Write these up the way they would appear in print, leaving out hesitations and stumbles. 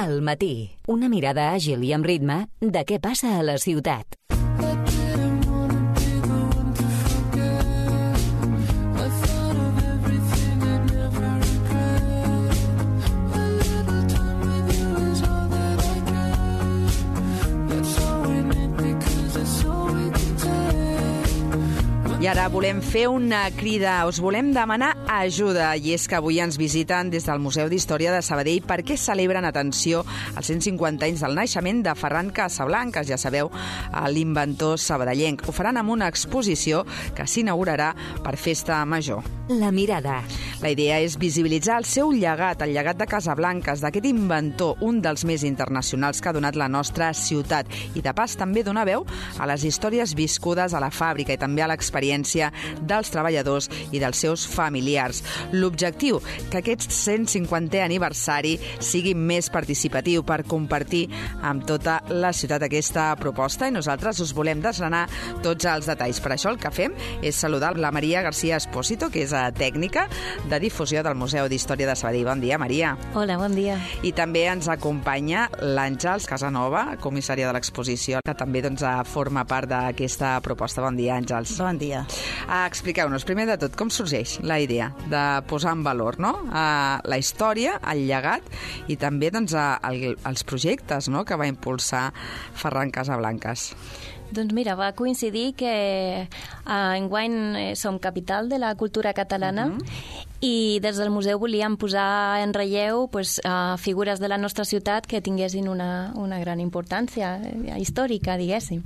Al matí, una mirada àgil i amb ritme de què passa a la ciutat. I ara volem fer una crida, us volem demanar ajuda, i és que avui ens visiten des del Museu d'Història de Sabadell perquè celebren, atenció, els 150 anys del naixement de Ferran Casablancas, ja sabeu, l'inventor sabadellenc. Ho faran amb una exposició que s'inaugurarà per Festa Major. La mirada. La idea és visibilitzar el seu llegat, el llegat de Casablancas, d'aquest inventor, un dels més internacionals que ha donat la nostra ciutat, i de pas també donar veu a les històries viscudes a la fàbrica i també a l'experiència dels treballadors i dels seus familiars. L'objectiu, que aquest 150è aniversari sigui més participatiu per compartir amb tota la ciutat aquesta proposta, i nosaltres us volem desgranar tots els detalls. Per això el que fem és saludar la Maria García Espósito, que és tècnica de difusió del Museu d'Història de Sabadell. Bon dia, Maria. Hola, bon dia. I també ens acompanya l'Àngels Casanova, comissària de l'exposició, que també forma part d'aquesta proposta. Bon dia, Àngels. Bon dia. Expliqueu-nos, primer de tot, com sorgeix la idea de posar en valor la història, el llegat i també els projectes que va impulsar Ferran Casablancas. Doncs mira, va coincidir que enguany som capital de la cultura catalana i des del museu volíem posar en relleu figures de la nostra ciutat que tinguessin una gran importància històrica, diguéssim.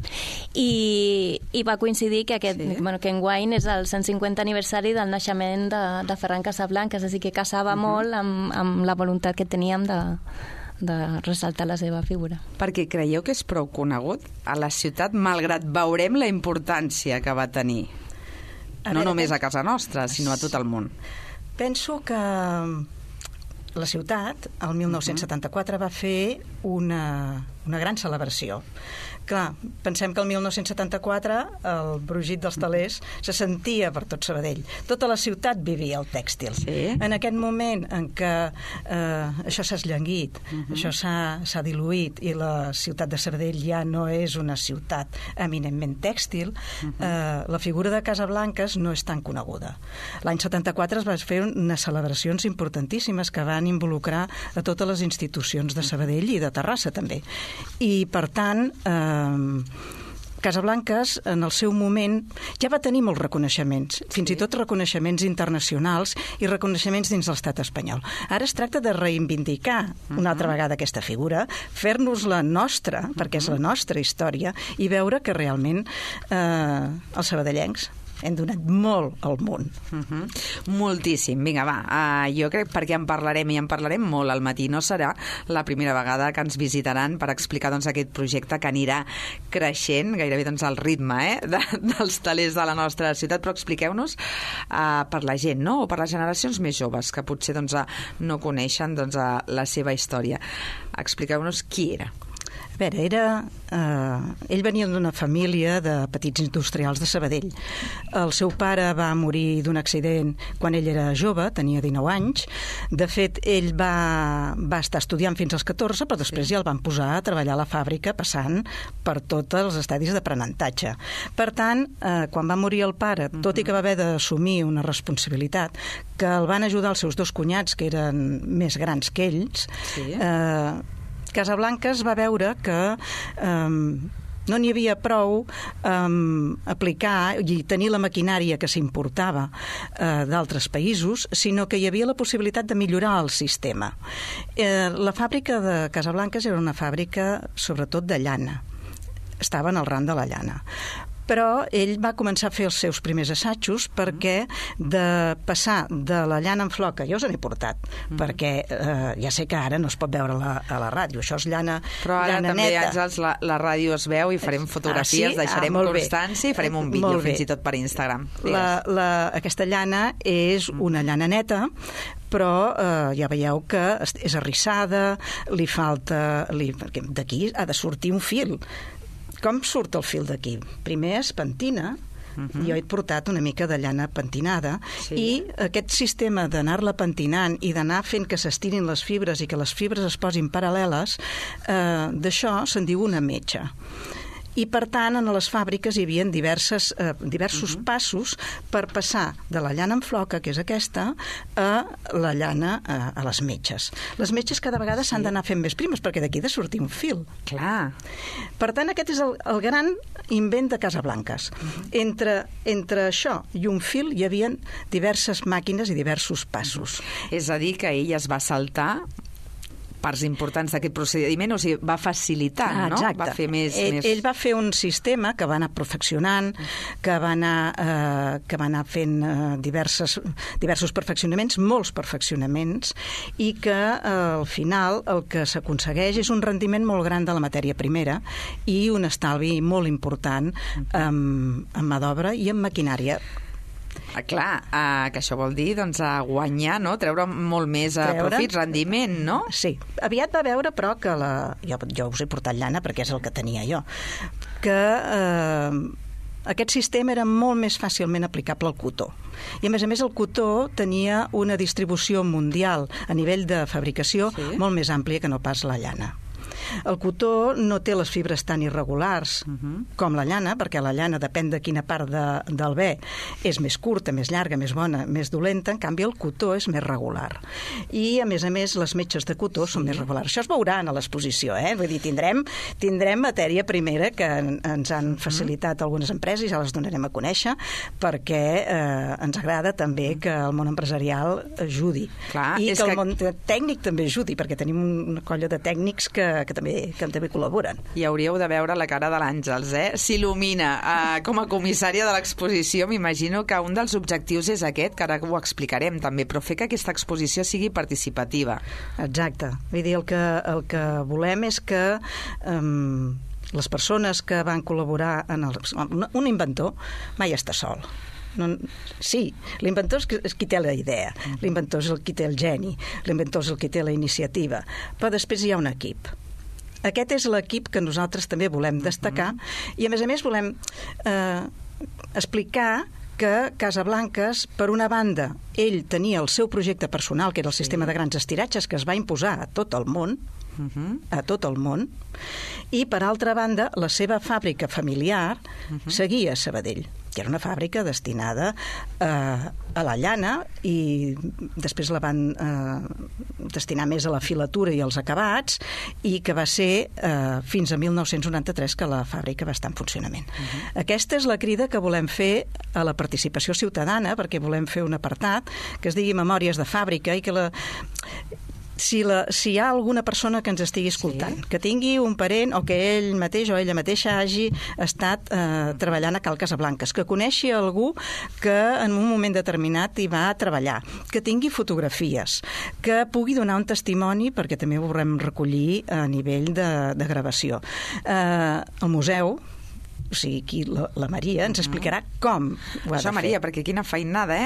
I va coincidir que que enguany és el 150 aniversari del naixement de Ferran Casablancas, així que casava molt amb la voluntat que teníem de ressaltar la seva figura. Perquè creieu que és prou conegut a la ciutat, malgrat veurem la importància que va tenir, no només a casa nostra, sinó a tot el món? Penso que la ciutat, el 1974, va fer una gran celebració. Clar, pensem que el 1974 el brugit dels telers se sentia per tot Sabadell. Tota la ciutat vivia el tèxtil. Sí. En aquest moment en què això s'ha esllanguit, això s'ha diluït i la ciutat de Sabadell ja no és una ciutat eminentment tèxtil, la figura de Casablancas no és tan coneguda. L'any 74 es va fer unes celebracions importantíssimes que van involucrar a totes les institucions de Sabadell i de Terrassa també. I per tant Casablancas en el seu moment ja va tenir molts reconeixements, fins i tot reconeixements internacionals i reconeixements dins l'estat espanyol. Ara es tracta de reivindicar una altra vegada aquesta figura, fer-nos-la nostra, perquè és la nostra història, i veure que realment els sabadellencs hem donat molt al món. Moltíssim. Vinga, va. Jo crec perquè en parlarem molt al matí. No serà la primera vegada que ens visitaran per explicar aquest projecte que anirà creixent, gairebé al ritme dels telers de la nostra ciutat. Però expliqueu-nos per la gent, o per les generacions més joves, que potser no coneixen la seva història. Expliqueu-nos qui era. A veure, ell venia d'una família de petits industrials de Sabadell. El seu pare va morir d'un accident quan ell era jove, tenia 19 anys. De fet, ell va estar estudiant fins als 14, però després ja el van posar a treballar a la fàbrica, passant per tots els estadis d'aprenentatge. Per tant, quan va morir el pare, tot i que va haver d'assumir una responsabilitat, que el van ajudar els seus dos cunyats, que eren més grans que ells, Casablancas va veure que no n'hi havia prou aplicar i tenir la maquinària que s'importava d'altres països, sinó que hi havia la possibilitat de millorar el sistema. La fàbrica de Casablancas era una fàbrica sobretot de llana. Estava en el ram de la llana. Però ell va començar a fer els seus primers assajos perquè de passar de la llana en flor, que jo us n'he portat, perquè ja sé que ara no es pot veure a la ràdio, això és llana neta. Però ara també, Àngels, la ràdio es veu i farem fotografies, deixarem constància i farem un vídeo fins i tot per Instagram. Aquesta llana és una llana neta, però ja veieu que és arrissada, li falta... D'aquí ha de sortir un fil. Com surt el fil d'aquí? Primer es pentina, Jo he portat una mica de llana pentinada i aquest sistema d'anar-la pentinant i d'anar fent que s'estirin les fibres i que les fibres es posin paral·leles, d'això se'n diu una metxa. I, per tant, en les fàbriques hi havia diversos passos per passar de la llana en floca, que és aquesta, a la llana a les metxes. Les metxes cada vegada s'han d'anar fent més primes, perquè d'aquí ha de sortir un fil. Clar. Per tant, aquest és el gran invent de Casablanques. Entre això i un fil hi havia diverses màquines i diversos passos. És a dir, que ell es va saltar parts importants d'aquest procediment, o sigui, va facilitar, no? Exacte. Va fer més... Ell va fer un sistema que va anar perfeccionant, que va anar fent diversos perfeccionaments, molts perfeccionaments, i que al final el que s'aconsegueix és un rendiment molt gran de la matèria primera i un estalvi molt important en mà d'obra i en maquinària. Clar, que això vol dir doncs, guanyar, no? Treure molt més profit, rendiment, no? Sí. Aviat va veure, però, que jo us he portat llana perquè és el que tenia jo, que aquest sistema era molt més fàcilment aplicable al cotó. I, a més, el cotó tenia una distribució mundial a nivell de fabricació molt més àmplia que no pas la llana. El cotó no té les fibres tan irregulars com la llana, perquè la llana depèn de quina part del bé és més curta, més llarga, més bona, més dolenta. En canvi, el cotó és més regular. I, a més, les metxes de cotó són més regulars. Això es veurà a l'exposició, Vull dir, tindrem matèria primera que ens han facilitat algunes empreses, ja les donarem a conèixer, perquè ens agrada també que el món empresarial ajudi. Clar, i que el món tècnic també ajudi, perquè tenim una colla de tècnics que també col·laboren. I hauríeu de veure la cara de l'Àngels, S'il·lumina. Com a comissària de l'exposició, m'imagino que un dels objectius és aquest, que ara ho explicarem també, però fer que aquesta exposició sigui participativa. Exacte. Vull dir, el que volem és que les persones que van col·laborar un inventor mai està sol. Sí, l'inventor és qui té la idea, l'inventor és el qui té el geni, l'inventor és el qui té la iniciativa, però després hi ha un equip. Aquest és l'equip que nosaltres també volem destacar i, a més, volem explicar que Casablanques, per una banda, ell tenia el seu projecte personal, que era el sistema de grans estiratges, que es va imposar a tot el món, i, per altra banda, la seva fàbrica familiar seguia a Sabadell, que era una fàbrica destinada a la llana i després la van destinar més a la filatura i als acabats i que va ser fins a 1993 que la fàbrica va estar en funcionament. Aquesta és la crida que volem fer a la participació ciutadana, perquè volem fer un apartat que es digui Memòries de Fàbrica i que si hi ha alguna persona que ens estigui escoltant, que tingui un parent o que ell mateix o ella mateixa hagi estat treballant a Cal Casablanques, que coneixi algú que en un moment determinat hi va treballar, que tingui fotografies, que pugui donar un testimoni, perquè també ho volem recollir a nivell de gravació. El museu, o sigui, aquí la Maria ens explicarà com ho ha de fer. Això, Maria, perquè quina feinada,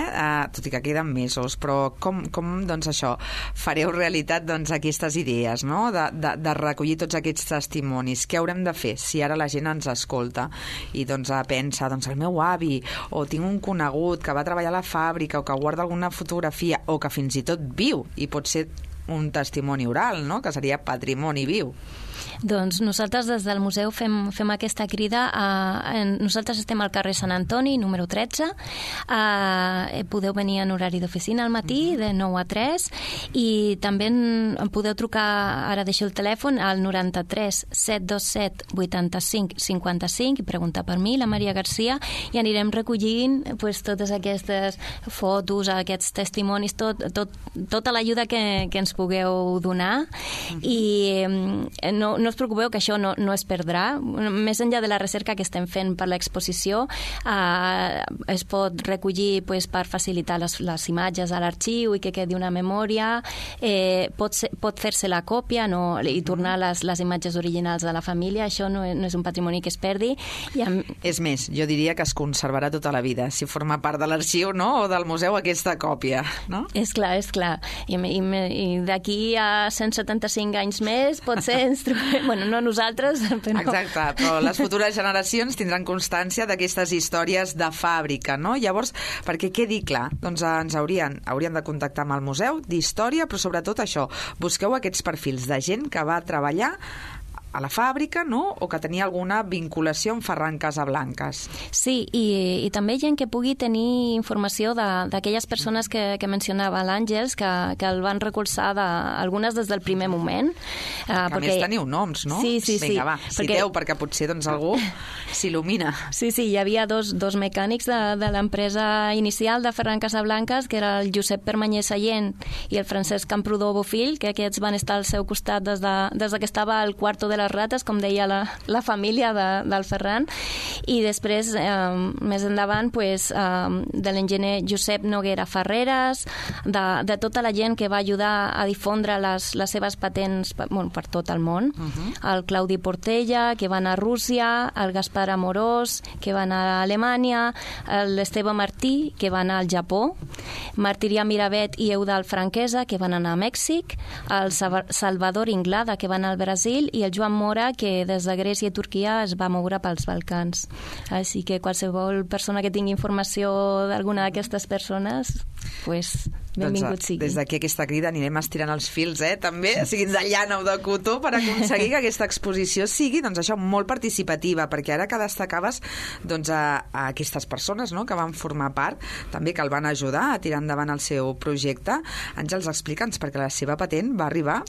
tot i que queden mesos, però com doncs això, fareu realitat doncs aquestes idees, no? De recollir tots aquests testimonis. Què haurem de fer si ara la gent ens escolta i doncs pensa, doncs el meu avi, o tinc un conegut que va treballar a la fàbrica, o que guarda alguna fotografia, o que fins i tot viu, i pot ser un testimoni oral, no? Que seria patrimoni viu. Doncs nosaltres des del museu fem aquesta crida. Nosaltres estem al carrer Sant Antoni, número 13. Podeu venir en horari d'oficina al matí, de 9 a 3, i també em podeu trucar, ara deixo el telèfon, al 93 727 85 55 i preguntar per mi, la Maria Garcia, i anirem recollint totes aquestes fotos, aquests testimonis, tota l'ajuda que ens pugueu donar. I no us preocupeu que això no es perdrà. Més enllà de la recerca que estem fent per l'exposició, es pot recollir per facilitar les imatges a l'arxiu i que quedi una memòria. Pot fer-se la còpia i tornar les imatges originals de la família. Això no és un patrimoni que es perdi. És més, jo diria que es conservarà tota la vida, si forma part de l'arxiu, no? O del museu, aquesta còpia, no? És clar. I d'aquí a 175 anys més potser ens trobem... Bueno, no nosaltres, però... Exacte, però les futures generacions tindran constància d'aquestes històries de fàbrica, no? Llavors, perquè quedi clar, doncs ens haurien de contactar amb el Museu d'Història, però sobretot això, busqueu aquests perfils de gent que va treballar a la fàbrica, no? O que tenia alguna vinculació amb Ferran Casablancas. Sí, i també gent que pugui tenir informació d'aquelles persones que mencionava l'Àngels, que el van recolzar algunes des del primer moment. Que a més teniu noms, no? Sí. Vinga, va, citeu, perquè potser doncs, algú s'il·lumina. Sí, hi havia dos mecànics de l'empresa inicial de Ferran Casablancas, que era el Josep Permanyer Sallent i el Francesc Camprodó Bofill, que aquests van estar al seu costat des que estava al quarto de les rates, com deia la família del Ferran, i després, més endavant, de l'enginyer Josep Noguera Ferreres, de tota la gent que va ajudar a difondre les seves patents per tot el món, el Claudi Portella, que va anar a Rússia, el Gaspar Amorós, que va anar a Alemanya, l'Esteve Martí, que va anar al Japó, Martirià Miravet i Eudald Franquesa, que van anar a Mèxic, el Salvador Inglada, que va anar al Brasil, i el Joan Mora, que des de Grècia i Turquia es va moure pels Balcans. Així que qualsevol persona que tingui informació d'alguna d'aquestes persones, benvingut sigui. Des d'aquí aquesta crida anirem estirant els fils, també, siguin de llana o de cotó, per aconseguir que aquesta exposició sigui, doncs això, molt participativa, perquè ara que destacaves doncs, a aquestes persones, no?, que van formar part, també que el van ajudar a tirar endavant el seu projecte. Àngels, explica'ns, perquè la seva patent va arribar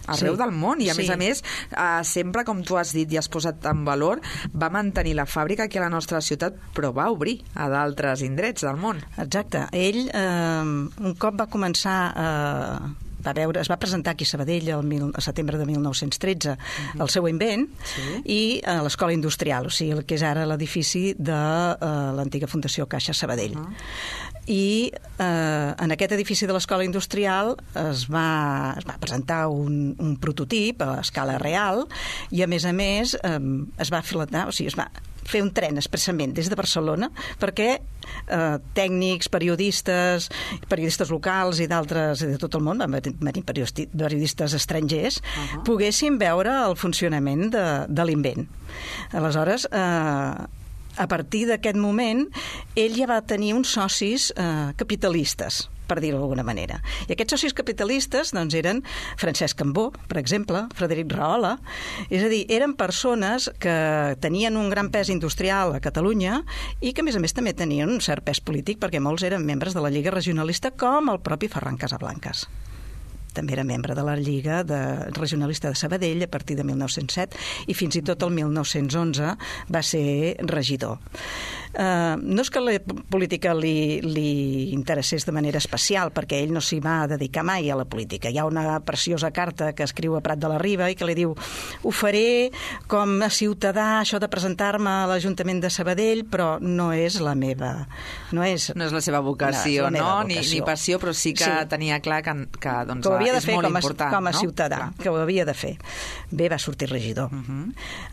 arreu del món, i a més, sempre, com tu has dit i has posat en valor, va mantenir la fàbrica aquí a la nostra ciutat, però va obrir a d'altres indrets del món. Exacte. Ell, un cop va començar es va presentar aquí a Sabadell a setembre de 1913 el seu invent, i a l'Escola Industrial, o sigui, el que és ara l'edifici de l'antiga Fundació Caixa Sabadell. I en aquest edifici de l'Escola Industrial es va presentar un prototip a escala real, i a més es va filetar, o sigui, es va fer un tren expressament des de Barcelona perquè tècnics, periodistes locals i d'altres de tot el món, van venir periodistes estrangers, poguessin veure el funcionament de l'invent. Aleshores, a partir d'aquest moment, ell ja va tenir uns socis capitalistes, per dir-ho d'alguna manera. I aquests socis capitalistes doncs, eren Francesc Cambó, per exemple, Frederic Rahola, és a dir, eren persones que tenien un gran pes industrial a Catalunya i que, a més també tenien un cert pes polític, perquè molts eren membres de la Lliga Regionalista, com el propi Ferran Casablancas. També era membre de la Lliga Regionalista de Sabadell a partir de 1907, i fins i tot el 1911 va ser regidor. No és que la política li interessés de manera especial, perquè ell no s'hi va dedicar mai a la política. Hi ha una preciosa carta que escriu a Prat de la Riba i que li diu: ho faré com a ciutadà, això de presentar-me a l'Ajuntament de Sabadell, però no és la meva... No és la seva vocació, ni passió, però sí que tenia clar que doncs, ho havia de fer com a no? ciutadà, que ho havia de fer. Bé, va sortir regidor.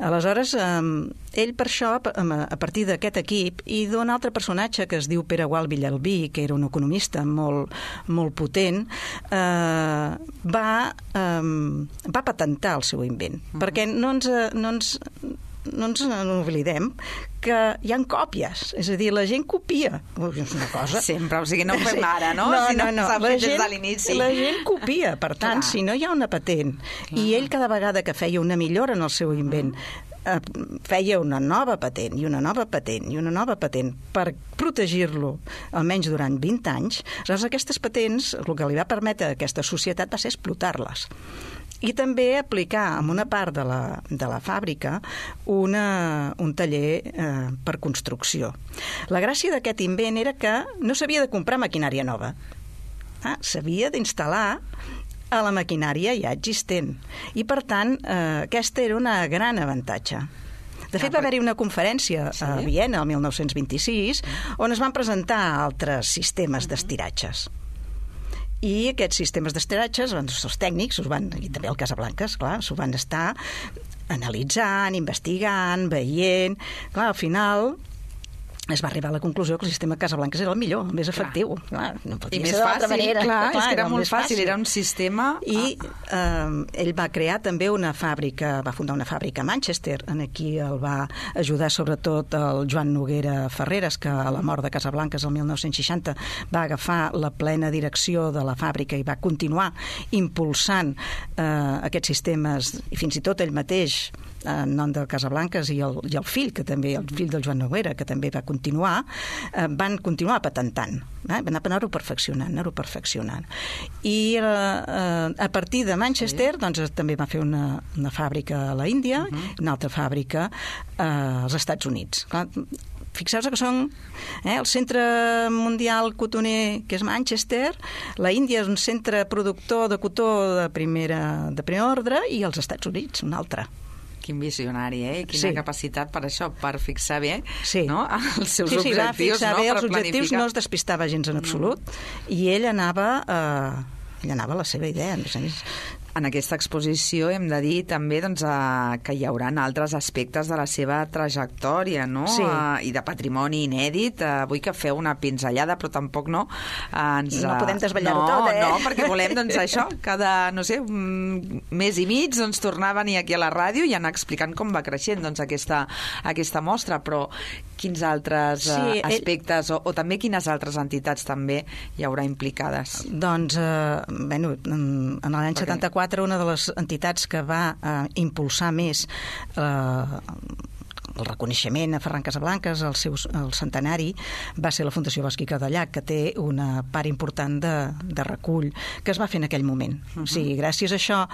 Aleshores, ell per això, a partir d'aquest equip, i d'un altre personatge que es diu Pere Gual Villalbí, que era un economista molt potent, va patentar el seu invent. Perquè no ens oblidem que hi ha còpies, és a dir, la gent copia. És una cosa... Sempre, o sigui, no ho fem ara, no? No. S'ha fet des de l'inici. La gent copia, per tant, si no hi ha una patent, i ell cada vegada que feia una millora en el seu invent, feia una nova patent, i una nova patent, i una nova patent, per protegir-lo almenys durant 20 anys, aleshores aquestes patents, el que li va permetre a aquesta societat va ser explotar-les. I també aplicar en una part de la fàbrica un taller per construcció. La gràcia d'aquest invent era que no s'havia de comprar maquinària nova. S'havia d'instal·lar a la maquinària ja existent. I, per tant, aquesta era una gran avantatge. De fet, va haver-hi una conferència a Viena, el 1926, on es van presentar altres sistemes d'estiratges. I aquests sistemes d'estiratges, els tècnics, i també el Casablancas, clar, s'ho van estar analitzant, investigant, veient... Clar, al final es va arribar a la conclusió que el sistema Casablanques era el millor, el més efectiu. Clar, no podia ser d'altra manera. Clar, és que era molt fàcil, era un sistema... I ell va crear també una fàbrica, va fundar una fàbrica a Manchester, en aquí el va ajudar sobretot el Joan Noguera Ferreres, que a la mort de Casablanques el 1960 va agafar la plena direcció de la fàbrica i va continuar impulsant aquests sistemes, i fins i tot ell mateix, en nom de Casablanques, i el fill, que també, el fill del Joan Noguera, que també va continuar, van continuar patentant, van anar-ho perfeccionant. I a partir de Manchester, doncs, també va fer una fàbrica a la Índia, una altra fàbrica als Estats Units. Clar, fixeu-vos que són el centre mundial cotoner, que és Manchester, la Índia és un centre productor de cotó de primer ordre, i els Estats Units, un altre. Quin visionari, Quina capacitat per això, per fixar bé no? Els seus objectius. Va fixar bé els objectius, no es despistava gens en absolut, i ell anava a la seva idea. En aquesta exposició hem de dir també que hi haurà altres aspectes de la seva trajectòria, no? Sí. I de patrimoni inèdit. Vull que feu una pinzellada, però tampoc no podem desvetllar-ho tot, No, perquè volem això, cada, no sé, mes i mig tornar a venir aquí a la ràdio i anar explicant com va creixent aquesta mostra, però quins altres aspectes o també quines altres entitats també hi haurà implicades? Doncs, en l'any 74 una de les entitats que va impulsar més el reconeixement a Ferran Casablanques, el centenari, va ser la Fundació Bosch i Cadellach, que té una part important de recull que es va fer en aquell moment. O sigui, gràcies a això,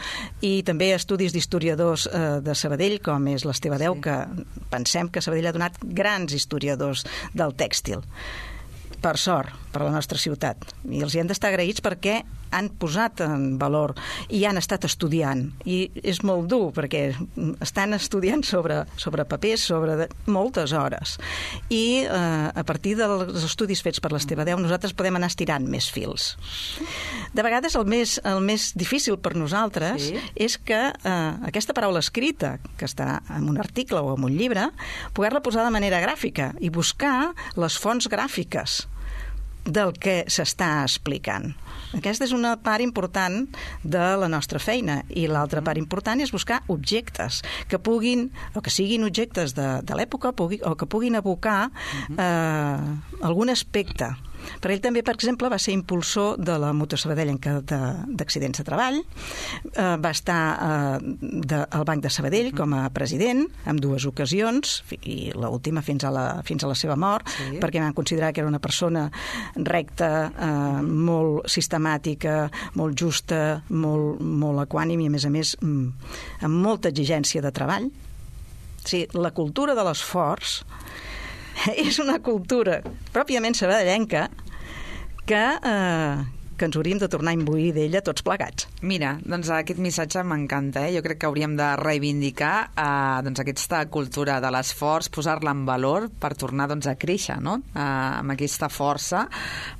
i també estudis d'historiadors de Sabadell, com és l'Esteve Deu, que pensem que Sabadell ha donat grans historiadors del tèxtil. Per sort, per a la nostra ciutat. I els hi hem d'estar agraïts perquè han posat en valor i han estat estudiant. I és molt dur, perquè estan estudiant sobre papers, sobre moltes hores. I a partir dels estudis fets per l'Esteve Deu, nosaltres podem anar estirant més fils. De vegades el més difícil per nosaltres és que aquesta paraula escrita, que està en un article o en un llibre, poder-la posar de manera gràfica i buscar les fonts gràfiques del que s'està explicant. Aquesta és una part important de la nostra feina, i l'altra part important és buscar objectes que puguin, o que siguin objectes de l'època, o que puguin evocar algun aspecte. Per ell també, per exemple, va ser impulsor de la Mutua Sabadellenca d'accidents de treball, va estar al Banc de Sabadell com a president en 2 ocasions, i l'última fins a la seva mort, perquè van considerar que era una persona recta, molt sistemàtica, molt justa, molt equànime, i a més amb molta exigència de treball. O sigui, la cultura de l'esforç és una cultura pròpiament sabadellenca que ens hauríem de tornar a imbuir d'ella tots plegats. Mira, doncs aquest missatge m'encanta. Jo crec que hauríem de reivindicar aquesta cultura de l'esforç, posar-la en valor per tornar a créixer, no? Amb aquesta força,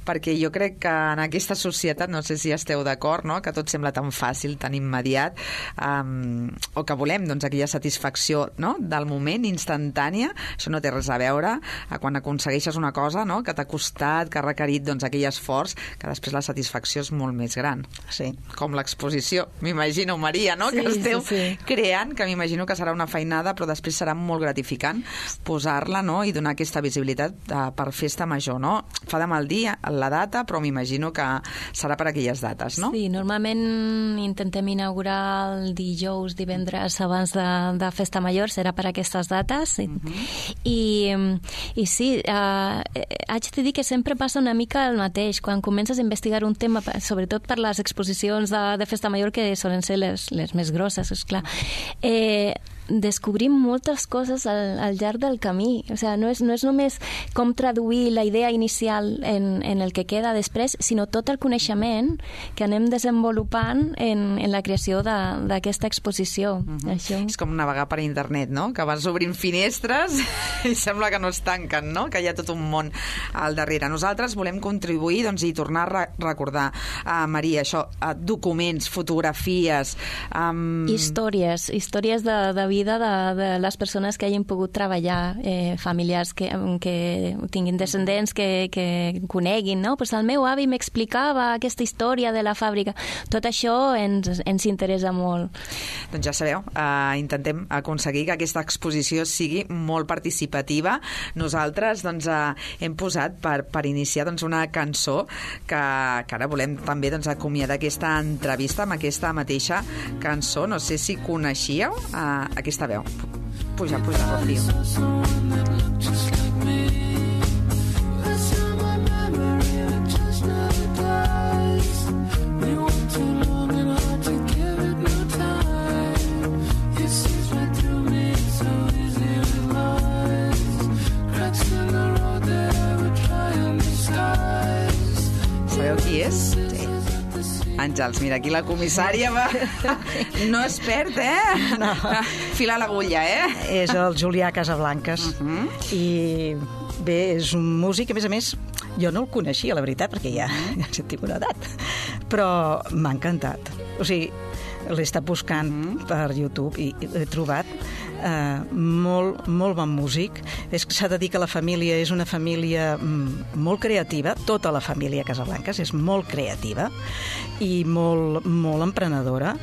perquè jo crec que en aquesta societat, no sé si esteu d'acord, no? Que tot sembla tan fàcil, tan immediat, o que volem aquella satisfacció, no? Del moment, instantània. Això no té res a veure quan aconsegueixes una cosa, no? Que t'ha costat, que ha requerit aquell esforç, que després la satisfacció és molt més gran. Sí. Com l'exposició, m'imagino, Maria, no? Que esteu creant, que m'imagino que serà una feinada, però després serà molt gratificant posar-la, no? I donar aquesta visibilitat per festa major, no? Fa de mal dir la data, però m'imagino que serà per aquelles dates, no? Sí, normalment intentem inaugurar el dijous, divendres abans de festa major, serà per aquestes dates. I sí, haig de dir que sempre passa una mica el mateix. Quan comences a investigar un tema, sobretot per les exposicions de festa major, que solen ser les més grosses, esclar, descobrim moltes coses al llarg del camí. O sigui, no és només com traduir la idea inicial en el que queda després, sinó tot el coneixement que anem desenvolupant en la creació d'aquesta exposició. Això. És com navegar per internet, no? Que vas obrint finestres i sembla que no es tanquen, no? Que hi ha tot un món al darrere. Nosaltres volem contribuir i tornar a recordar, Maria, això, documents, fotografies... Històries de vida vida de les persones que hagin pogut treballar, familiars que tinguin descendents que coneguin, no? Pues el meu avi m'explicava aquesta història de la fàbrica. Tot això ens interessa molt. Doncs ja sabeu, intentem aconseguir que aquesta exposició sigui molt participativa. Nosaltres doncs, hem posat per iniciar doncs, una cançó que ara volem també doncs, acomiadar aquesta entrevista amb aquesta mateixa cançó. No sé si coneixíeu aquesta veu. Puja, Rocío. Sabeu qui és? Àngels, mira, aquí la comissària va... No es perd, No. Filar l'agulla, És el Julià Casablancas. I bé, és un músic, a més, jo no el coneixia, la veritat, perquè ja tinc una edat, però m'ha encantat. O sigui, l'he estat buscant per YouTube i l'he trobat molt bon músic. S'ha de dir que la família és una família molt creativa, tota la família Casablancas és molt creativa i molt emprenedora.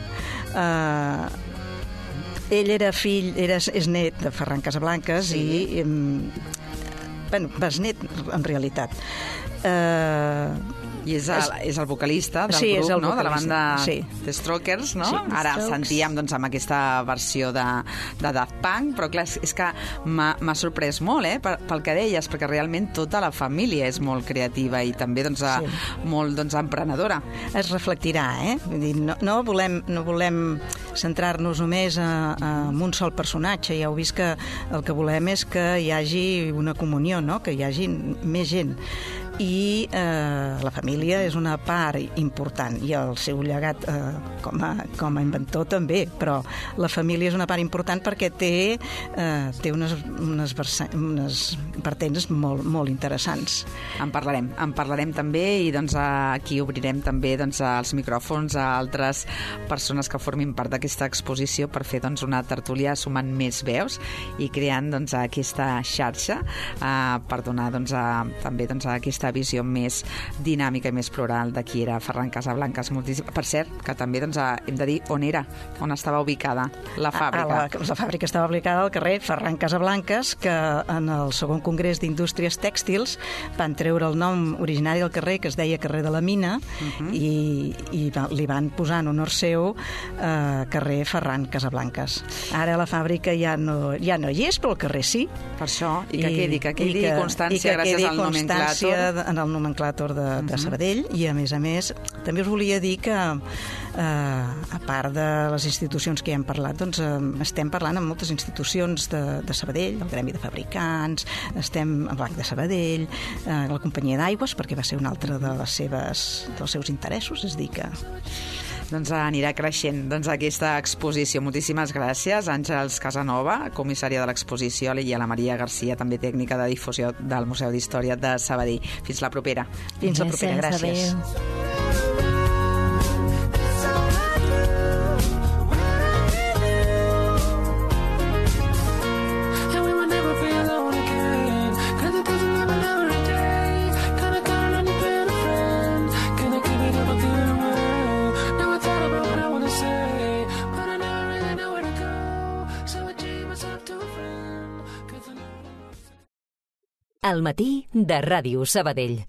Ell és net de Ferran Casablancas i besnet en realitat. I és el vocalista del grup, no? De la banda The Strokers, no? Ara sentíem doncs, amb aquesta versió de Daft Punk, però clar, és que m'ha sorprès molt, pel que deies, perquè realment tota la família és molt creativa i també doncs, molt emprenedora. Es reflectirà, Vull dir, no volem centrar-nos només en un sol personatge. Ja heu vist que el que volem és que hi hagi una comunió, no? Que hi hagi més gent. I la família és una part important i el seu llegat com a inventor també, però la família és una part important perquè té unes vertents molt interessants. En parlarem també i doncs, aquí obrirem també doncs, els micròfons a altres persones que formin part d'aquesta exposició per fer doncs, una tertúlia sumant més veus i creant doncs, aquesta xarxa per donar doncs, també doncs, aquesta visió més dinàmica i més plural de qui era Ferran Casablancas. Per cert, que també doncs, hem de dir on estava ubicada la fàbrica. La fàbrica estava ubicada al carrer Ferran Casablancas, que en el segon congrés d'indústries tèxtils van treure el nom originari del carrer, que es deia carrer de la Mina, i li van posar en honor seu carrer Ferran Casablancas. Ara la fàbrica ja no hi és, però el carrer sí. Per això, i que quedi constància gràcies al nomenclàtor. En el nomenclàtor de Sabadell, i a més també us volia dir que a part de les institucions que ja hem parlat, doncs estem parlant amb moltes institucions de Sabadell, el Gremi de Fabricants, estem al Banc de Sabadell, la companyia d'aigües, perquè va ser un altre dels seus interessos, és dir que... Doncs anirà creixent aquesta exposició. Moltíssimes gràcies, Àngels Casanova, comissària de l'exposició, i a la Maria Garcia, també tècnica de difusió del Museu d'Història de Sabadell. Fins la propera. Fins la propera, gràcies. Al matí de Ràdio Sabadell.